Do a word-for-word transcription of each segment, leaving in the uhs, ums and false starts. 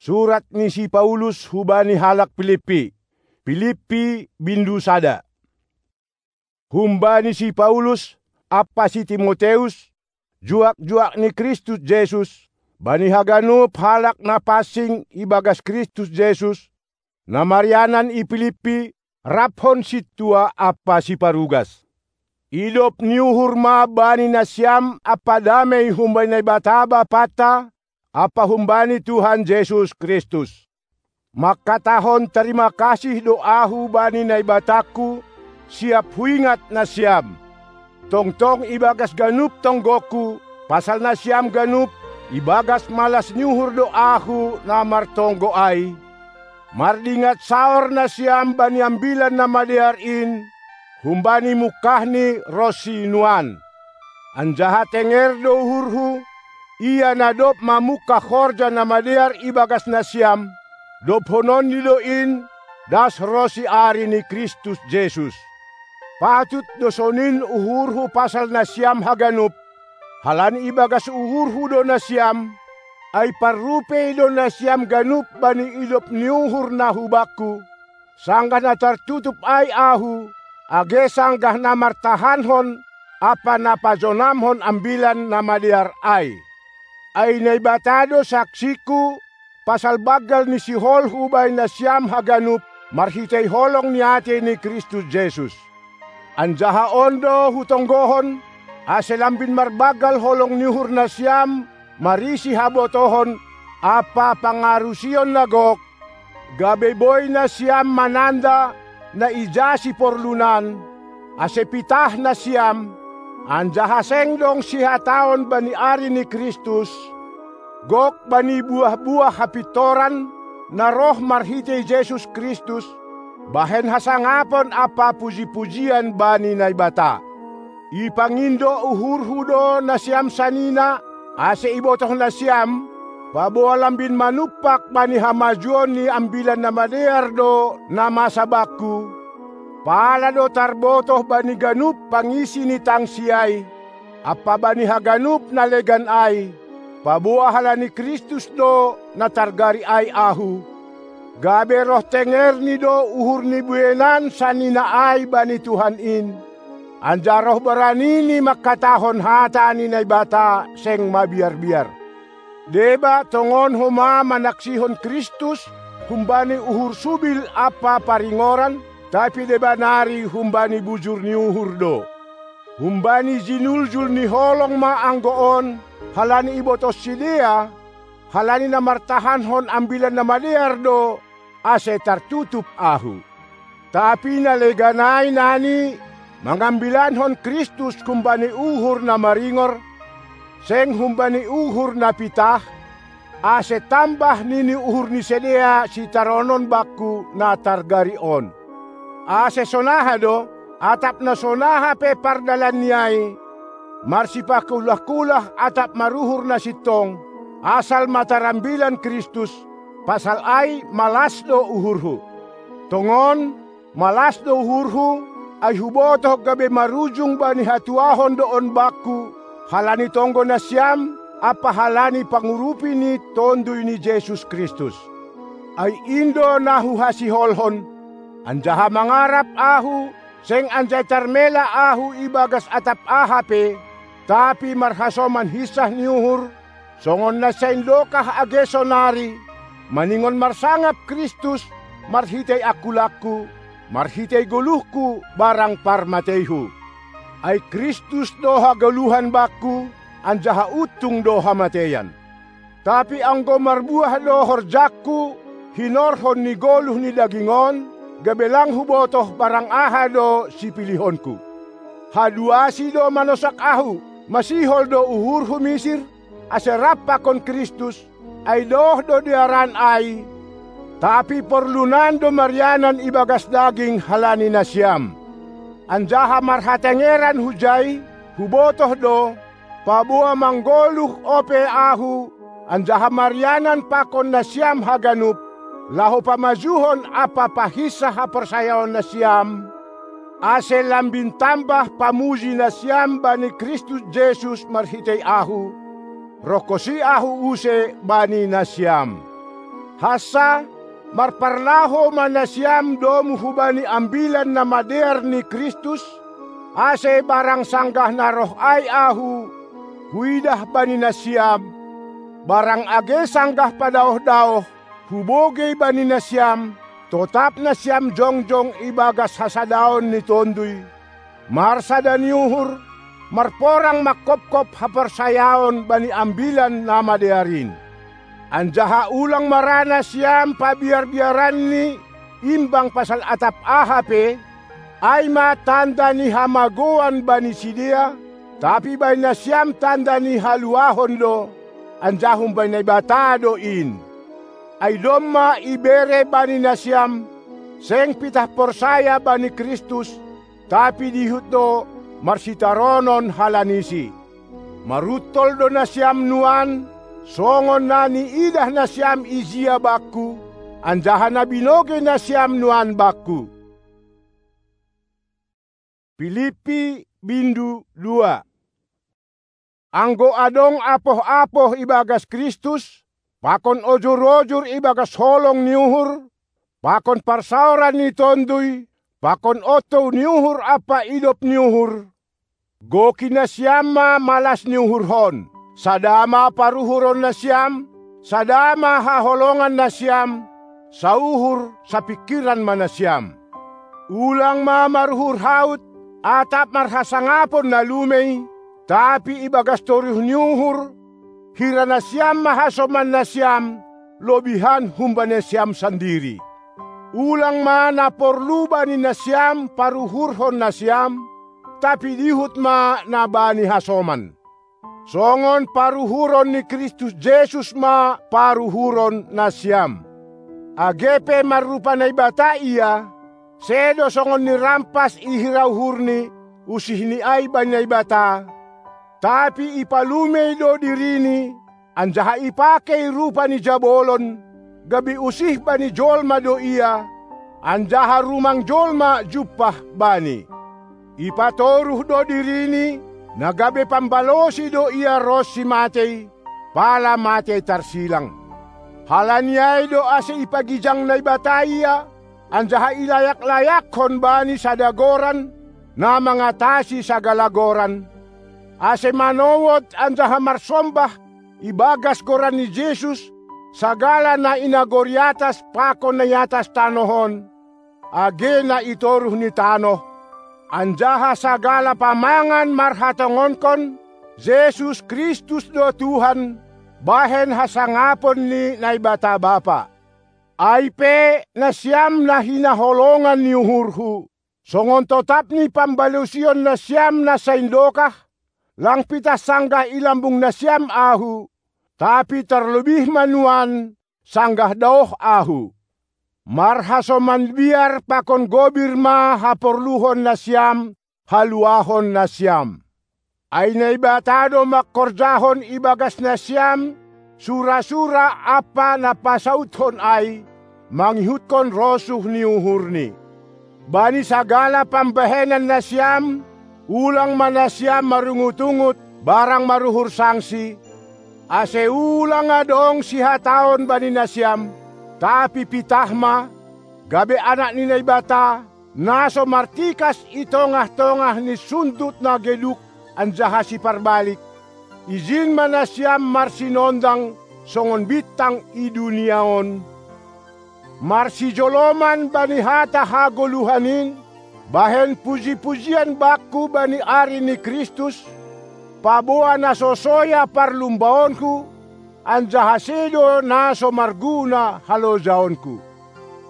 Surat ni si Paulus hubani halak Pilippi. Pilippi bindu sada. Humbani si Paulus ampa si Timoteus, juak-juak ni Kristus Jesus, bani haganup halak na pansing ibagas Kristus Jesus, na marianan i Pilippi, raphon sintua ampa siparugas. Idop ni uhur ma bani nasiam ampa damei humbani Naibata Bapanta ampa humbani Tuhan Jesus Kristus. Mangkatahon tarima kasih do ahu bani Naibatangku, siap huingat nasiam. Tongtong ibagas ganup tonggongku, pasal nasiam ganup, ibagas malas ni uhur do ahu na martonggo ai, mardingat saor nasiam bani Ambilan Namadear in, humbani mungkahni ronsi nuan. Anjaha tenger do uhurhu, ia na dob mamungkah horja na madear ibagas nasiam, dobhononni do in, das ronsi ari ni Kristus Jesus. Patut do sonin uhurhu pasal nasiam haganup, halani ibagas uhurhu do nasiam, ai parrupei do nasiam ganup bani idop ni uhur na hubakku, sanggah na tartutup ai ahu, age sanggah na martahankon ampa na pajonamhon Ambilan Namadear ai. Ai Naibata do saksingku, pasal banggal ni sihol hubani nasiam haganup marhitei holong ni atei ni Kristus Jesus. Anjaha on do hutonggohon, ase lambin marbanggal holong ni uhur nasiam marisi habotohon ampa pangarusion na gok, gabe boi nasiam mananda na ija siporlunan, ase pitah nasiam, anjaha seng dong sihataon bani ari ni Kristus, gok bani buah-buah hapintoran na roh marhitei Jesus Kristus, bahen hasangapon ampa puji-pujian bani Naibata. Ipangindo uhurhu do nasiam sanina, ase ibotoh nasiam, paboa lambin manumpak bani hamajuon ni Ambilan Namadear do na masa bangku, pala do tarbotoh bani ganup pangisi ni tangsi ai, ampa bani haganup na legan ai, paboa halani Kristus do na targari ai ahu, gabe roh tengerni do uhur ni bueinan sanina ai bani Tuhan in, anjaha roh baranini mangkatahon hata ni Naibata seng mabiar-biar. Deba tongon homa manaksihon Kristus humbani uhur subil ampa paringoran, tapi deba nari humbani bujur ni uhur do. Humbani jinuljul ni holong ma anggo on, halani ibotoh sidea, halani na martahankon Ambilan Namadear do, ase tartutup ahu. Tapi na legan ai nani mangambilankon Kristus humbani uhur na maringor, seng humbani uhur na pitah, ase tambah nini uhur ni sidea sitaronon bangku na targari on. Ase sonaha do, atap na sonaha pe pardalanni ai, marsipakulah-kulah atap maruhur na sintong, asal ma tarambilan Kristus, pasal ai malas do uhurhu. Tongon, malas do uhurhu, ai hubotoh gabe marujung bani hatuahon do on bangku, halani tonggo nasiam ampa halani pangurupi ni Tonduy ni Jesus Kristus. Ai in do na huhasiholhon, anjaha mangarap ahu, seng anjai tarmela ahu ibagas atap aha pe, tapi marhasoman hinsah ni uhur, songon na saindokah age sonari, maningon marsangap Kristus marhitei angkulangku, marhitei goluhku barang parmateihu. Ai Kristus do hagoluhan bangku, anjaha untung do hamateian. Tapi anggo marbuah do horjangku hinorhon ni goluh ni daging on, gabe lang hubotoh barang aha do sipilihonku. Haduasi do manosak ahu, masihol do uhurhu misir, ase rap pakon Kristus, ai doh do dearan ai, tapi porlunan do marianan ibagas daging halani nasiam. Anjaha marhatengeran hujai, hubotoh do, paboa manggoluh ope ahu, anjaha marianan pakon nasiam haganup, laho pamajuhon ampa pahinsah haporsayaon nasiam, ase lambin tambah pamuji nasiam bani Kristus Jesus marhitei ahu, rongkosi ahu use bani nasiam. Hansa, marparlaho ma nasiam domu hubani Ambilan Namadear ni Kristus, ase barang sanggah na roh ai ahu, huidah bani nasiam, barang age sanggah padaoh-daoh, hubogei bani nasiam, totap nasiam jongjong ibagas hasadaon ni Tonduy, marsada ni uhur, marporang mangkopkop haporsayaon bani Ambilan Namadear in. Anjaha ulang ma ra nasiam pabiarbiaranni imbang pasal atap aha pe, ai ma tanda ni hamagouan bani sidea, tapi bani nasiam tanda ni haluahon do, anjaha humbani Naibata do in. Ai domma ibere bani nasiam, seng pitah porsaya bani Kristus, tapi dihut do marsitaronon halanisi. Maruntol do nasiam nuan, songon na niidah nasiam ijia bakku, anjaha na binogei nasiam nuan bakku. Pilippi bindu dua. Anggo adong apoh-apoh ibagas Kristus, pakon ojur-ojur ibagas holong ni uhur, pakon parsaoran ni Tonduy, pakon ontou ni uhur ampa idop ni uhur, goki nasiam ma malas ni uhurhon, sada ma paruhuron nasiam, sada ma haholongan nasiam, sauhur sapingkiran ma nasiam. Ulang ma maruhur haut, atap marhasangapon na lumei, tapi ibagas toruh ni uhur, hira nasiam ma hasoman nasiam, lobihan humbani nasiam sandiri. Ulang ma na porlu bani nasiam paruhurhon nasiam, tapi dihut ma na bani hasoman. Songon paruhuron ni Kristus Jesus ma paruhuron nasiam. Age pe marrupa Naibata ia, sedo songon nirampas ihira uhurni, usihni ai bani Naibata, tapi ipalumei do dirini, anjaha ipakei rupa ni jabolon, gabe usih bani jolma do ia, anjaha rumang jolma jumpah bani. Ipatoruh do dirini, na gabe pambalosi do ia ronsi matei, pala matei tarsilang. Halani ai do ase ipagijang Naibata ia, anjaha ilayak-layakkon bani sada goran, na mangatasi sagala goran, ase manowot anjaha marsombah ibagas goran ni Jesus, sagala na i nagori atas pakon na i atas tanoh on, age na i toruh ni tanoh, anjaha sagala pamangan marhatongonkon, Jesus Kristus do Tuhan, bahen hasangapon ni Naibata Bapa. Ai pe nasiam na hinaholongan ni uhurhu, songon totap ni pambalosion nasiam na saindokah, lang pitah sanggah i lambung nasiam ahu, tapi tarlobih ma nuan, sanggah daoh ahu. Marhasoman biar pakon gobir ma haporluhon nasiam, haluahon nasiam. Ai Naibata do mangkorjahon ibagas nasiam, sura-sura ampa na pasauthon ai, mangihutkon rosuh ni uhurni. Bani sagala pambahenan nasiam, ulang ma nasiam marungut-ungut, barang maruhur sangsi, ase ulang adong sihataon bani nasiam, tapi pitah ma, gabe anak ni Naibata, na so martikas i tongah-tongah ni sundut na geduk anjaha siparbalik, ijin ma nasiam marsinondang songon bintang i dunia on. Marsijoloman bani hata hagoluhan in, bahen puji-pujian bakku bani ari ni Kristus, paboa na so soya parlumbaonku, anjaha sedo na so marguna halojaonku.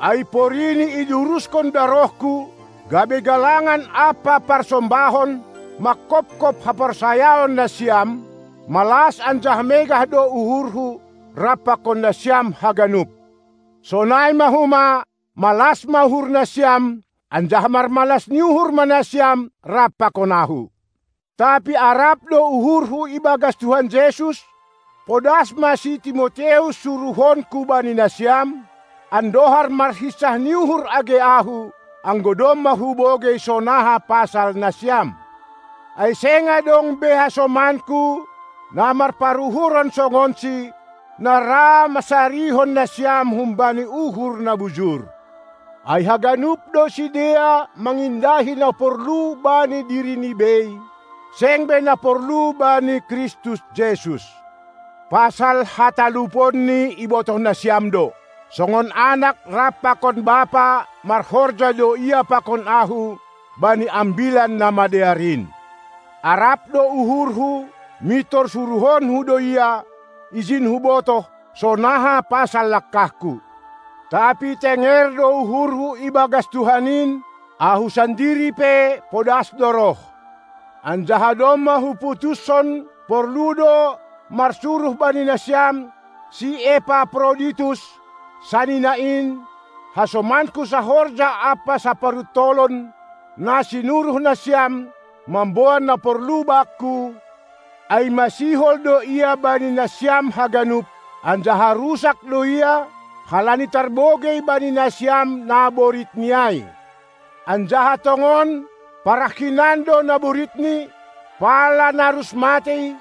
Ai porini iduruskon darohku, gabe galangan ampa parsombahon, mangkopkop haporsayaon nasiam, malas anjaha megah do uhurhu, rap pakon nasiam haganup. Sonai ma homa, malas ma uhur nasiam, anjaha marmalas ni uhur ma nasiam rap pakon ahu. Tapi arap do uhurhu ibagas Tuhan Jesus, podas ma si Timoteus suruhonku bani nasiam, andohar marhinsah ni uhur age ahu, anggo domma hubogei sonaha pasal nasiam. Ai seng adong be hasomanku, na marparuhuron songonsi, na ra masarihon nasiam humbani uhur na bujur. Ai haganup do sidea mangindahi na porlu bani dirini bei, seng be na porlu bani Kristus Jesus. Pasal hataluponni ibotoh nasiam do, songon anak rap pakon bapa marhorja do ia pakon ahu bani Ambilan Namadear in. Arap do uhurhu, mintor suruhonhu do ia, ijin hubotoh, sonaha pasal langkahku. Tapi tenger do uhurhu ibagas Tuhan in, ahu sandiri pe podas do roh. Anjaha domma huputushon porlu do marsuruh bani nasiam si Epaproditus, sanina in, hasomanku sahorja ampa saparuntolon, na sinuruh nasiam mamboan na porlu bakku, ai masihol do ia bani nasiam haganup, anjaha rusak do ia, halani tarbogei bani nasiam naboritni ai. Anjaha tongon, parah hinan do naboritni, pala narus matei,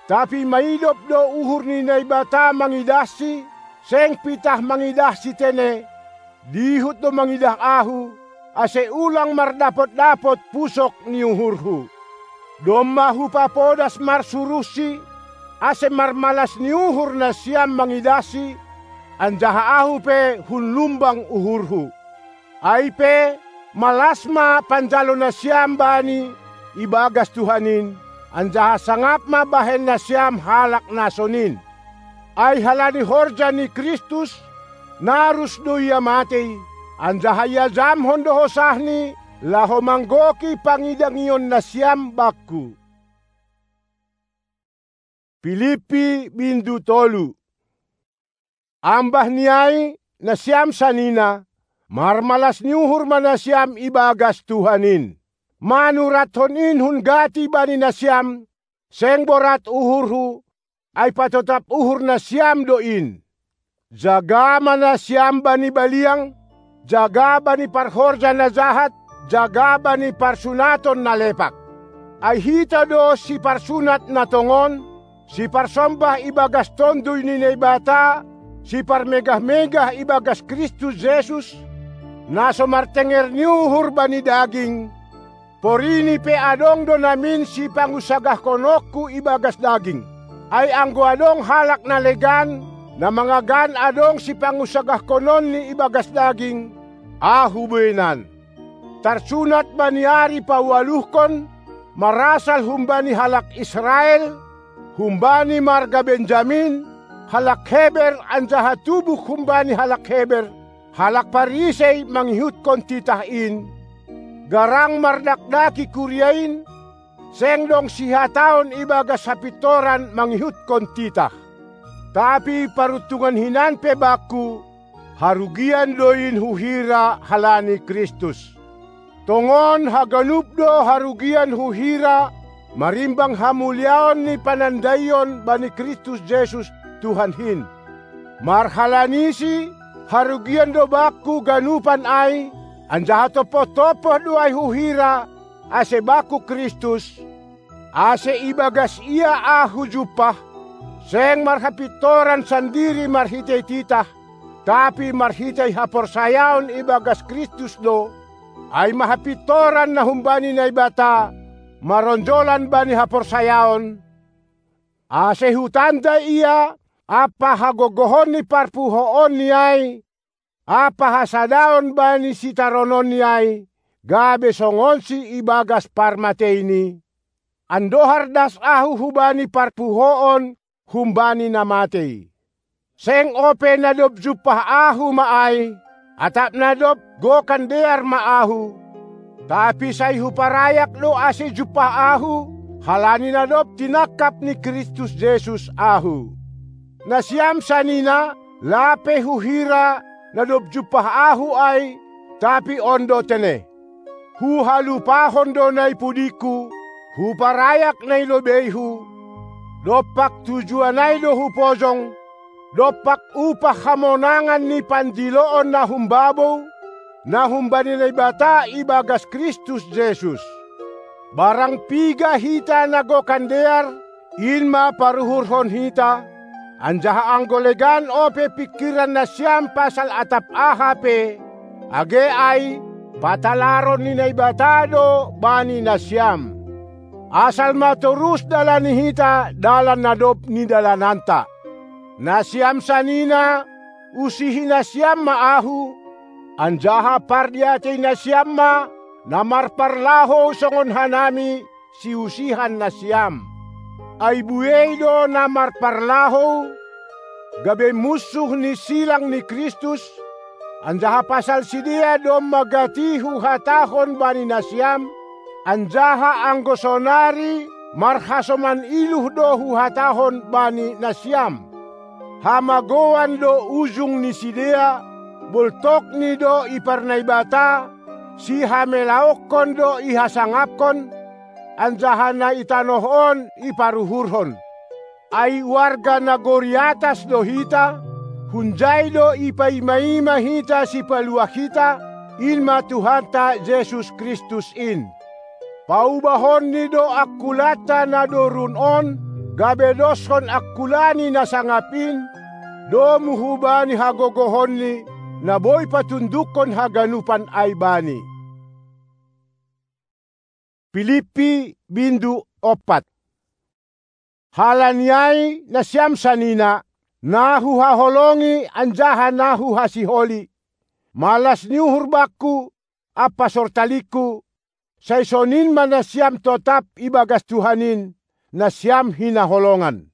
tapi maidop do uhur ni Naibata mangidahsi, seng pitah mangidahsi tene, dihut do mangidah ahu, ase ulang mardapot-dapot pusok ni uhurhu. Domma hupapodas marsuruhsi, ase marmalas ni uhur nasiam mangidahsi, anjaha ahu pe hun lumbang uhurhu. Ai pe, malas ma panjalo nasiam bani ibagas Tuhan in, anjaha sangap ma bahen nasiam halak na sonin. Ai halani horja ni Kristus, narus do ia matei, anjaha iajamhon do hosahni, laho manggoki pangidangion nasiam bakku. Pilippi bindu tolu. Ambah ni ai, nasiam sanina, marmalas ni uhur ma nasiam ibagas Tuhan in. Manurathon in hun gati bani nasiam, seng borat uhurhu, ai patotap uhur nasiam do in. Jaga ma nasiam bani baliang, jaga bani parhorja na jahat, jaga bani parsunaton na lepak. Ai hita do siparsunat na tongon, siparsombah ibagas Tonduy ni Naibata, siparmegah-megah ibagas Kristus Jesus, na so martenger ni uhur bani daging, porini pe adong do namin sipangunsagahkononku ibagas daging. Ai anggo adong halak na legan, na mangagan adong sipangunsagahkononni ibagas daging, ahu bueinan. Tarsunat bani ari paualuhkon, marasal humbani halak Israel, humbani marga Benjamin, halak Heber anjaha tubuh humbani halak Heber, halak Parisei mangihutkon titah in, garang mardakdaki kuria in, seng dong sihataon ibagas hapintoran mangihutkon titah. Tapi paruntungan hinan pe bakku, harugian do in huhira halani Kristus. Tongon haganup do harugian huhira marimbang hamuliaon ni panandaion bani Kristus Jesus Tuhan hin. Marhalanisi, harugian do bakku ganupan ai, anjaha tompoh-tompoh do ai huhira, ase bakku Kristus, ase ibagas ia ahu jumpah, seng marhapintoran sandiri marhitei titah, tapi marhitei haporsayaon ibagas Kristus do, ai ma hapintoran na humbani Naibata, maronjolan bani haporsayaon, ase hutanda ia, ampa hagogohon ni parpuhoonni ai, ampa hasadaon bani sitarononni ai, gabe songonsi ibagas parmateini. Andohar das ahu hubani parpuhoon humbani na matei. Seng ope na dob jumpah ahu ma ai, atap na dob gokan dear ma ahu, tapi sai huparayak do ase jumpah ahu, halani na dob tinangkap ni Kristus Jesus ahu. Nasiam sanina, lape huhira na dob jumpah ahu ai, tapi on do tene. Huhalupahon do na i pudingku, huparayak na i lobeihu, dompak tujuan ai do hupojong, dompak upah hamonangan ni pandiloon na humbabou, na humbani Naibata ibagas Kristus Jesus. Barang piga hita na gokan dear, in ma paruhurhon hita, Anjaha anggo legan ope pingkiran nasiam pasal atap aha pe, age ai, patalaron ni Naibata do bani nasiam. Asal ma torus dalani hita dalan na dob nidalananta. Nasiam sanina, usihi nasiam ma ahu, anjaha pardiatei nasiam ma na marparlahou songon hanami siusihan nasiam. Ai buei do na marparlahou, gabe munsuh ni silang ni Kristus, anjaha pasal sidea domma gati huhatahon bani nasiam, anjaha anggo sonari marhasoman iluh do huhatahon bani nasiam. Hamagouan do ujung ni sidea, boltokni do iparnaibata, sihamelaonkon do ihasangapkon, anjaha na i tanoh on iparuhurhon. Ai warga nagori atas do hita, hunjai do ipaima-ima hita Sipaluah hita, in ma Tuhanta Jesus Kristus in. Paubahonni do angkulanta na dorun on, gabe doskon angkula ni na sangap in, domu hubani hagogohonni, na boi patundukkon haganupan ai bani. Pilippi bindu ompat. Halani ai nasiam sanina, na huhaholongi anjaha na huhasiholi, malas ni uhur bakku, ampa sortalingku, sai sonin ma nasiam totap ibagas Tuhan in, nasiam hinaholongan.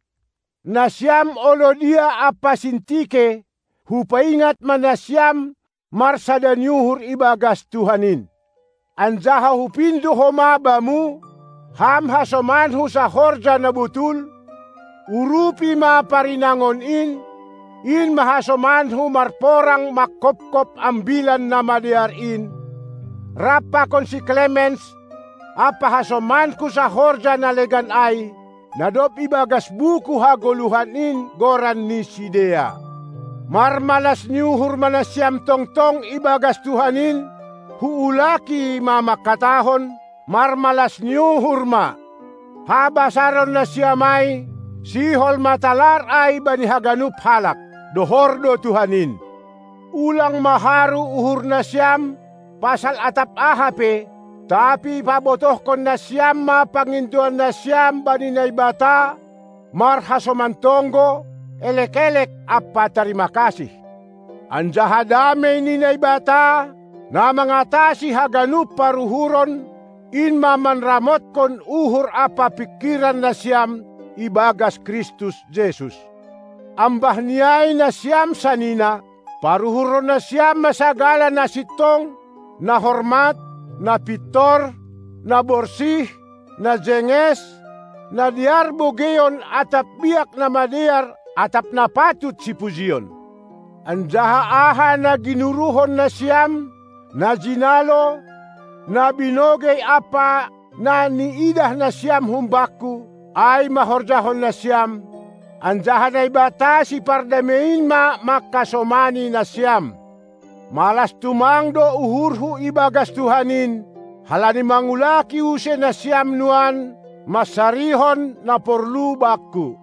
Nasiam olo dia ampa Sintike, hupaingat ma nasiam marsada ni uhur ibagas Tuhan in. Anjaha hupindo homa bamu, ham hasomanhu sahorja na botul, urupi ma parinangon in, in ma hasomanhu marporang mangkopkop Ambilan Namadear in, rap pakon si Klemens, ampa hasomanku sahorja na legan ai, na dob ibagas buku hagoluhan in goran ni sidea. Marmalas ni uhur ma nasiam tongtong ibagas Tuhan in, huulaki ma mangkatahon, marmalas ni uhur ma. Habasaron nasiam ai, sihol ma talar ai bani haganup halak, dohor do Tuhan in. Ulang ma haru uhur nasiam, pasal atap aha pe, tapi pabotohkon nasiam ma pangindoan nasiam bani Naibata, marhasoman tonggo, elek-elek ampa tarima kasih. Anjaha damei ni Naibata, na mangatasi haganup paruhuron, in ma manramotkon uhur ampa pingkiran nasiam ibagas Kristus Jesus. Ambah ni ai nasiam sanina, paruhurhon nasiam ma sagala na sintong, na hormat, na pintor, na borsih, na jenges, na dear bogeion atap biak na madear atap na patut sipujion. Anjaha aha na ginuruhon nasiam, na jinalo, na binogei ampa na niidah nasiam humbakku, ai ma horjahon nasiam, anjaha Naibata sipardamei in ma mangkasomani nasiam. Malas tumang do uhurhu ibagas Tuhan in, halani mangulaki use nasiam nuan, mansarihon na porlu bakku.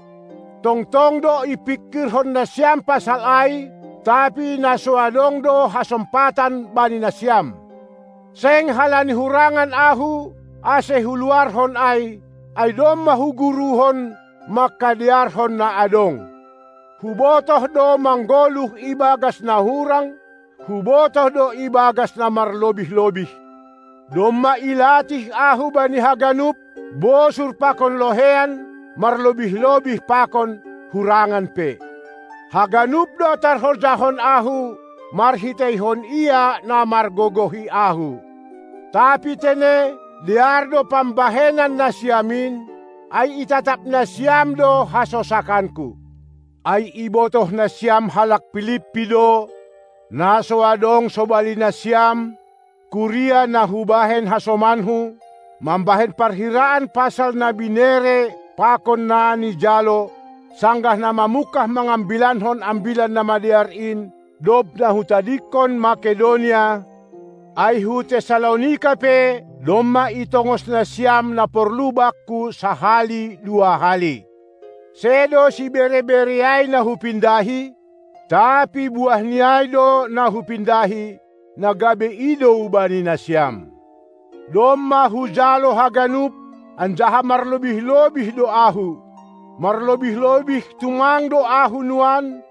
Tongtong do ipingkirhon nasiam pasal ai, tapi na so adong do hasompatan bani nasiam. Seng halani hurangan ahu, ase huluarhon ai, ai domma huguruhon mangkadearhon na adong. Hubotoh do manggoluh ibagas na hurang, hubotoh do ibagas na marlobih-lobih. Domma ilatih ahu bani haganup, bosur pakon lohean, marlobih-lobih pakon hurangan pe. Haganup do tarhorjahon ahu, marhiteihon Ia na margogohi ahu. Tapi tene, dear do pambahenan nasiam in, ai itatap nasiam do hasosakanku. Ai ibotoh nasiam halak Pilippi do, na so adong sobali nasiam, kuria na hubahen hasomanhu, mambahen parhiraan pasal na binere pakon na nijalo, sanggah na mamungkah mangambilankon Ambilan Namadear in, dob na hutadingkon Makedonia, ai hu Tessalonika pe domma itongos nasiam na porlu bakku sahali dua hali. Sedo sibere-bere ai na hupindahi, tapi buah ni ai do na hupindahi, na gabe idou bani nasiam. Domma hujalo haganup, anjaha marlobih-lobih do ahu. Marlobih-lobih tumang do ahu nuan,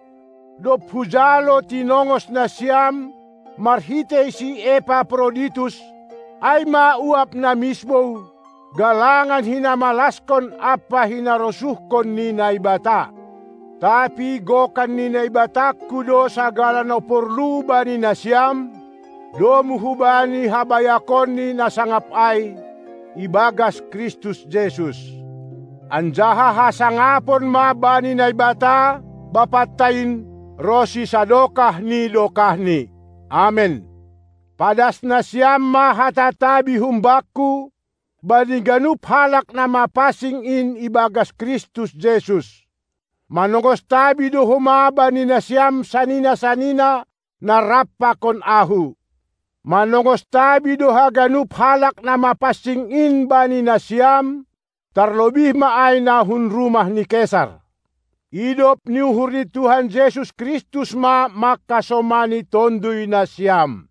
dob hujalo tinongos nasiam marhitei si Epaproditus, ai ma uap na misbou, galangan hinamalaskon ampa hinarosuhkon ni Naibata. Tapi gokan ni Naibatangku do sagala na porlu bani nasiam, domu hubani habayakonni na sangap ai, ibagas Kristus Jesus. Anjaha hasangapon ma bani Naibata, Bapanta in, ronsi sadokah ni dokahni. Amen. Padas nasiam ma hata tabi humbakku, bani ganup halak na mapansing in ibagas Kristus Jesus. Manongos tabi do homa bani nasiam sanina-sanina na rap pakon ahu. Manongos tabi do haganup halak na mapansing in bani nasiam, tarlobih ma ai na hun rumah ni Kesar. Idop ni uhur ni Tuhan Jesus Kristus ma mangkasomani tonduy nasiam.